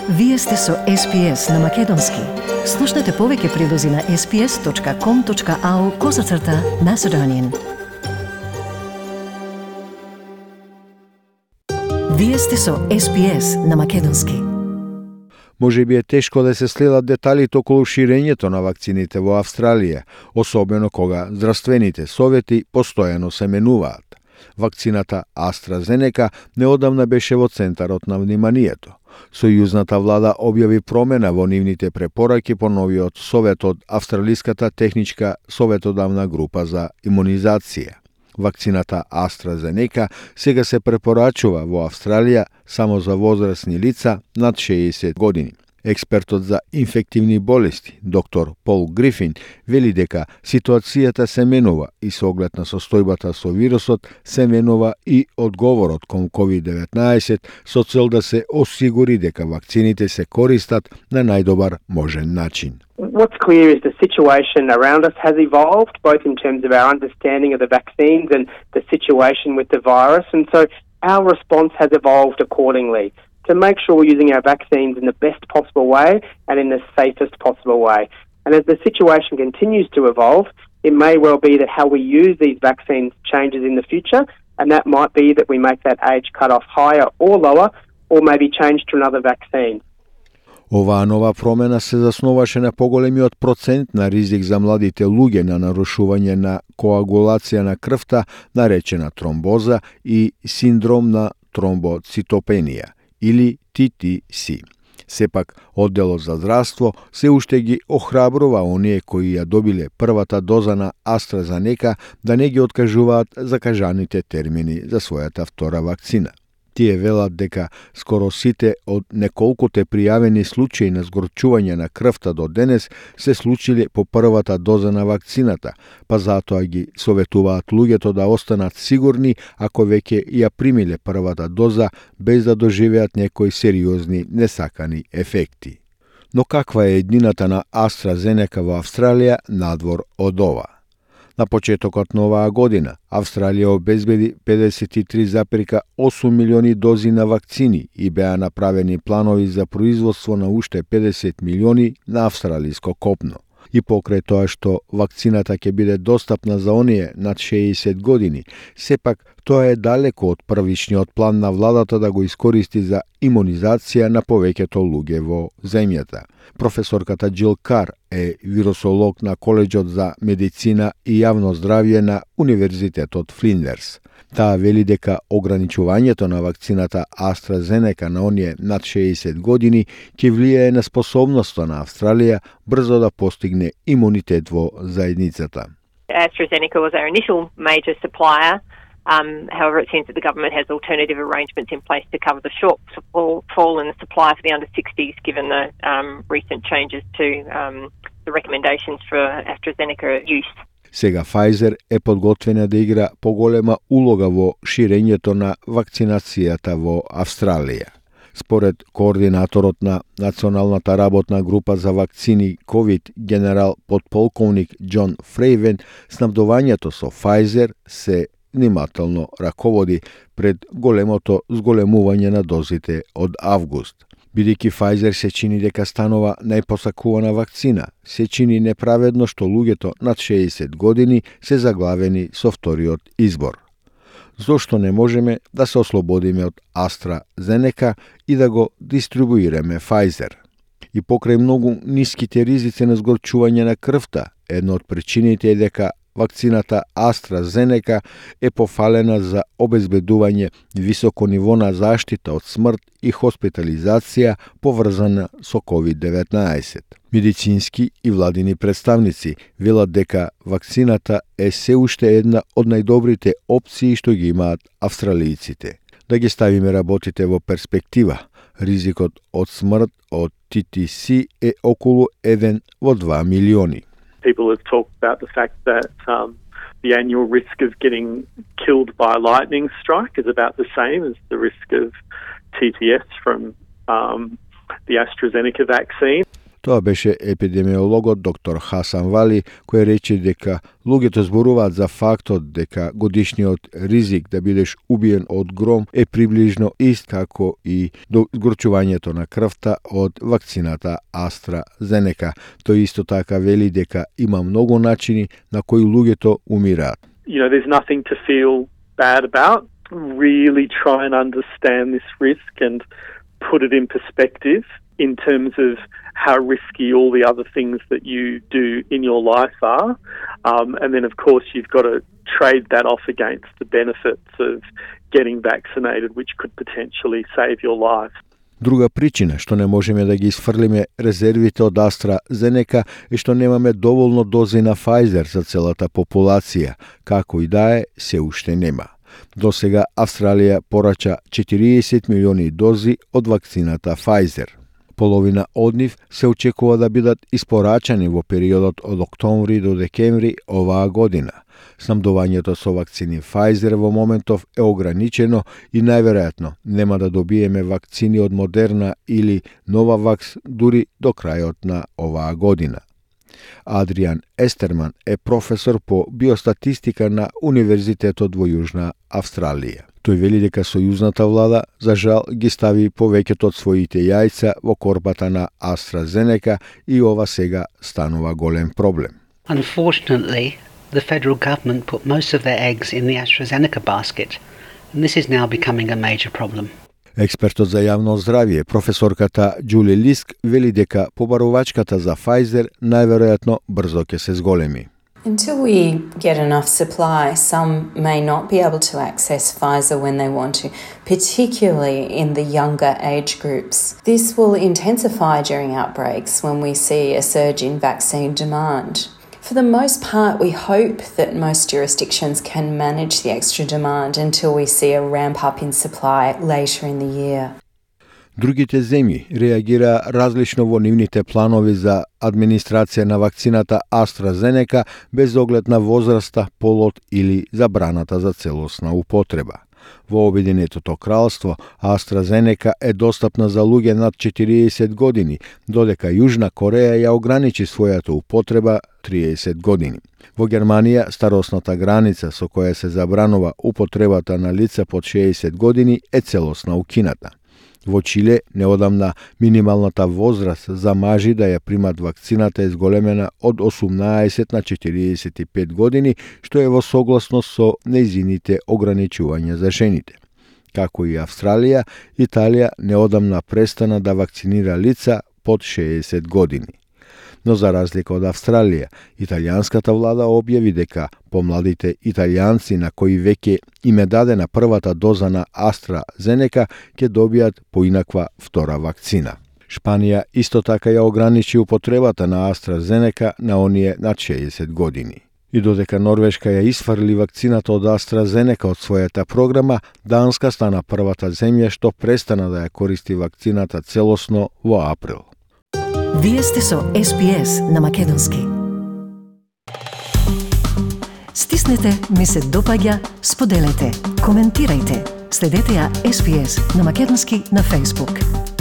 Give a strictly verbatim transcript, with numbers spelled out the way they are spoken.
Вие сте со Ес Пи Ес на Македонски. Слушнете повеќе прилози на ес пи ес точка ком точка ау козацрта Macedonian. Вие сте со Ес Пи Ес на Македонски. Може би е тешко да се следат деталите околу ширењето на вакцините во Австралија, особено кога здравствените совети постојано се менуваат. Вакцината AstraZeneca неодамна беше во центарот на вниманието. Сојузната влада објави промена во нивните препораки по новиот совет од Австралиската техничка советодавна група за имунизација. Вакцината AstraZeneca сега се препорачува во Австралија само за возрастни лица над шеесет години. Експертот за инфективни болести, доктор Пол Грифин, вели дека ситуацијата се менува и со оглед на состојбата со вирусот се менува и одговорот кон ковид деветнаесет со цел да се осигури дека вакцините се користат на најдобар можен начин. What's clear is the situation around us has evolved, both in terms of our understanding of the vaccines and the situation with the virus, and so our response has evolved accordingly to make sure we're using our vaccines in the best possible way and in the safest possible way. And as the situation continues to evolve, it may well be that how we use these vaccines changes in the future, and that might be that we make that age cutoff higher or lower, or maybe change to another vaccine. Оваа нова промена се заснуваше на поголемиот процент на ризик за младите луѓе на нарушување на коагулација на крвта, наречена тромбоза, и синдром на тромбоцитопенија, или Ти Ти Си. Сепак, одделот за здравство се уште ги охрабрува оние кои ја добиле првата доза на AstraZeneca да не ги откажуваат закажаните термини за својата втора вакцина. Тие велат дека скоро сите од неколкуте пријавени случаи на згорчување на крвта до денес се случиле по првата доза на вакцината, па затоа ги советуваат луѓето да останат сигурни ако веќе ја примиле првата доза без да доживеат некои сериозни несакани ефекти. Но каква е еднината на AstraZeneca во Австралија надвор од ова? На почетокот на оваа година, Австралија обезбеди педесет и три зарез и осум милиони дози на вакцини и беа направени планови за производство на уште педесет милиони на австралиско копно. И покрај тоа што вакцината ќе биде достапна за оние над шеесет години, сепак тоа е далеко од првичниот план на владата да го искористи за имунизација на повеќето луѓе во земјата. Професорката Джил Кар е вирусолог на Коледжот за медицина и јавно здравје на Универзитетот Флиндерс. Таа вели дека ограничувањето на вакцината AstraZeneca на оние над шеесет години ќе влијае на способноста на Австралија брзо да постигне имунитет во заедницата. AstraZeneca was our initial major supplier. Um, however, it seems that the government has alternative arrangements in place to cover the shortfall in the supply for the under sixties, given the um, recent changes to um, the recommendations for AstraZeneca use. Сега Pfizer е подготвена да игра поголема улога во ширењето на вакцинацијата во Австралија. Според координаторот на Националната работна група за вакцини COVID, генерал подполковник Џон Фрейвен, снабдувањето со Pfizer се внимателно раководи пред големото зголемување на дозите од август. Бидејќи Pfizer се чини дека станува најпосакувана вакцина, се чини неправедно што луѓето над шеесет години се заглавени со вториот избор. Зошто не можеме да се ослободиме од AstraZeneca и да го дистрибуираме Pfizer? И покрај многу ниските ризици на згорчување на крвта, една од причините е дека вакцината AstraZeneca е пофалена за обезбедување високо ниво на заштита од смрт и хоспитализација поврзана со ковид деветнаесет. Медицински и владини представници велат дека вакцината е се уште една од најдобрите опции што ги имаат австралијците. Да ги ставиме работите во перспектива, ризикот од смрт од Ти Ти Си е околу еден во два милиони. People have talked about the fact that um, the annual risk of getting killed by a lightning strike is about the same as the risk of T T S from um, the AstraZeneca vaccine. Тоа беше епидемиологот доктор Хасан Вали, кој рече дека луѓето зборуваат за фактот дека годишниот ризик да бидеш убиен од гром е приближно ист како и до згорчувањето на крвта од вакцината AstraZeneca. Тој исто така вели дека има многу начини на кои луѓето умираат. You know, there's nothing to feel bad about. Really try and understand this risk and put it in perspective in terms of how risky all the other things that you do in your life are. Um, and then, of course, you've got to trade that off against the benefits of getting vaccinated, which could potentially save your life. Друга причина што не можеме да ги исфрлиме резервите од AstraZeneca е што немаме доволно дози на Pfizer за целата популација, како и да е, се уште нема. До сега Австралија порача четириесет милиони дози од вакцината Pfizer. Половина од нив се очекува да бидат испорачани во периодот од октомври до декември оваа година. Снабдувањето со вакцини Pfizer во моментов е ограничено и најверојатно нема да добиеме вакцини од Модерна или Новавакс дури до крајот на оваа година. Адриан Естерман е професор по биостатистика на Универзитетот во Јужна Австралија. Тој вели дека сојузната влада, за жал, ги стави повеќето од своите јајца во корбата на AstraZeneca и ова сега станува голем проблем. Unfortunately, the federal government put most of their eggs in the AstraZeneca basket, and this is now becoming a major problem. Експертот за јавно здравје, професорката Џули Лиск, вели дека побарувачката за Pfizer најверојатно брзо ќе се зголеми. Until we get enough supply, some may not be able to access Pfizer when they want to, particularly in the younger age groups. This will intensify during outbreaks when we see a surge in vaccine demand. For the most part, we hope that most jurisdictions can manage the extra demand until we see a ramp up in supply later in the year. Другите земји реагира различно во нивните планови за администрација на вакцината AstraZeneca без оглед на возраста, полот или забраната за целосна употреба. Во Обединетото кралство AstraZeneca е достапна за луѓе над четириесет години, додека Јужна Кореја ја ограничи својата употреба триесет години. Во Германија старосната граница со која се забранува употребата на лица под шеесет години е целосно укината. Во Чиле неодамна минималната возраст за мажи да ја примат вакцината е зголемена од осумнаесет на четириесет и пет години, што е во согласност со нејзините ограничувања за жените. Како и Австралија, Италија неодамна престана да вакцинира лица под шеесет години. Но за разлика од Австралија, италијанската влада објави дека помладите италијанци на кои веќе им е дадена првата доза на AstraZeneca ќе добијат поинаква втора вакцина. Шпанија исто така ја ограничи употребата на AstraZeneca на оние над шеесет години. И додека Норвешка ја исфрли вакцината од AstraZeneca од својата програма, Данска стана првата земја што престана да ја користи вакцината целосно во април. Вие сте со Ес Би Ес на Македонски. Стиснете, ми се допаѓа, споделете, коментирајте. Следете ја Ес Би Ес на Македонски на Facebook.